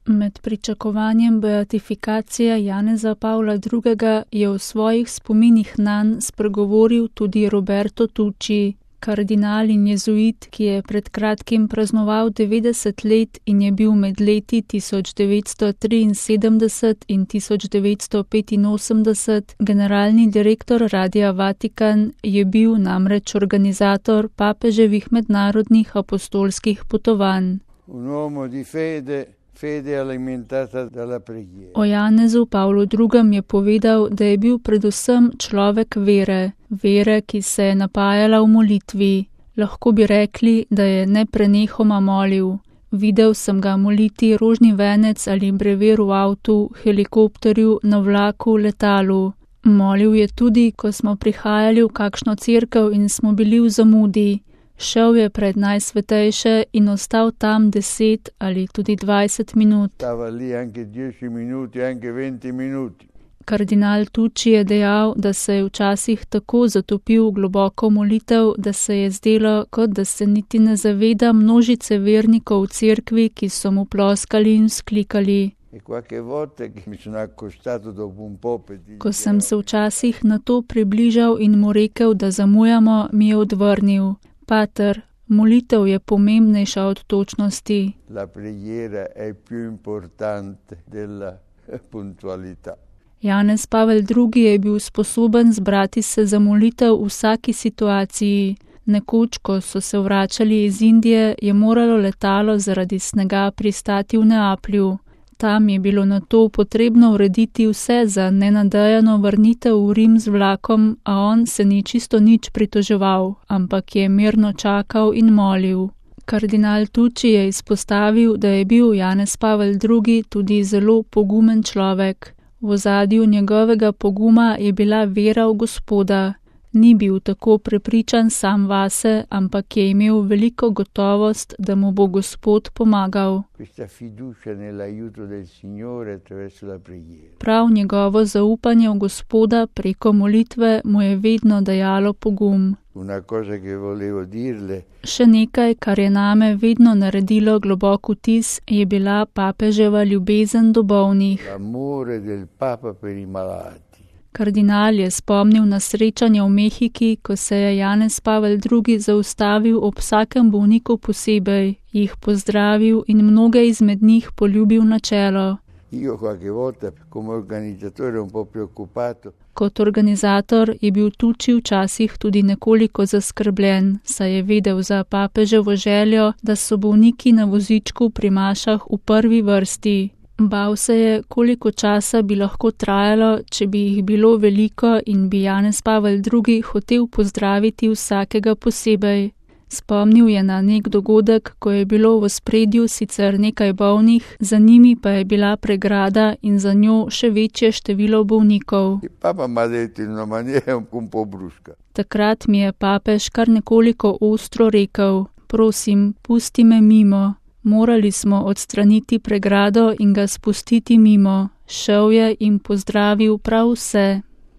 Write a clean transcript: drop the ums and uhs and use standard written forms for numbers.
Med pričakovanjem beatifikacije Janeza Pavla II. Je v svojih spominih nanj spregovoril tudi Roberto Tucci, kardinal in jezuit, ki je pred kratkim praznoval 90 let in je bil med leti 1973 in 1985 generalni direktor Radia Vatikan, je bil namreč organizator papeževih mednarodnih apostolskih potovanj. O Janezu Pavlu II. Je povedal, da je bil predvsem človek vere, ki se je napajala v molitvi. Lahko bi rekli, da je neprenehoma molil. Videl sem ga moliti rožni venec ali brever v avtu, helikopterju, na vlaku, letalu. Molil je tudi, ko smo prihajali v kakšno cerkev in smo bili v zamudi. Šel je pred Najsvetejše in ostal tam 10 ali tudi 20 minut. Kardinal Tucci je dejal, da se je včasih tako zatopil v globoko molitev, da se je zdelo, kot da se niti ne zaveda množice vernikov v cerkvi, ki so mu ploskali in vzklikali. Ko sem se včasih na to približal in mu rekel, da zamujamo, mi je odvrnil: Pater, molitev je pomembnejša od točnosti. Janez Pavel II. Je bil sposoben zbrati se za molitev v vsaki situaciji. Nekoč, ko so se vračali iz Indije, je moralo letalo zaradi snega pristati v Neaplju. Tam je bilo nato potrebno urediti vse za nenadejano vrnitev v Rim z vlakom, a on se ni čisto nič pritoževal, ampak je mirno čakal in molil. Kardinal Tucci je izpostavil, da je bil Janez Pavel II. Tudi zelo pogumen človek. V ozadju njegovega poguma je bila vera v Gospoda. Ni bil tako prepričan sam vase, ampak je imel veliko gotovost, da mu bo Gospod pomagal. Prav njegovo zaupanje v Gospoda preko molitve mu je vedno dajalo pogum. Še nekaj, kar je name vedno naredilo globok vtis, je bila papeževa ljubezen do bolnih. Kardinal je spomnil na srečanje v Mehiki, ko se je Janez Pavel II. Zaustavil ob vsakem bolniku posebej, jih pozdravil in mnoge izmed njih poljubil na čelo. Kot organizator je bil Tucci včasih tudi nekoliko zaskrbljen, saj je vedel za papeževo željo, da so bolniki na vozičku pri mašah v prvi vrsti. Bal se je, koliko časa bi lahko trajalo, če bi jih bilo veliko in bi Janez Pavel II. Hotel pozdraviti vsakega posebej. Spomnil je na nek dogodek, ko je bilo v ospredju sicer nekaj bolnih, za njimi pa je bila pregrada in za njo še večje število bolnikov. Takrat mi je papež kar nekoliko ostro rekel: Prosim, pusti me mimo. Morali smo odstraniti pregrado in ga spustiti mimo. Šel je in pozdravil prav vse.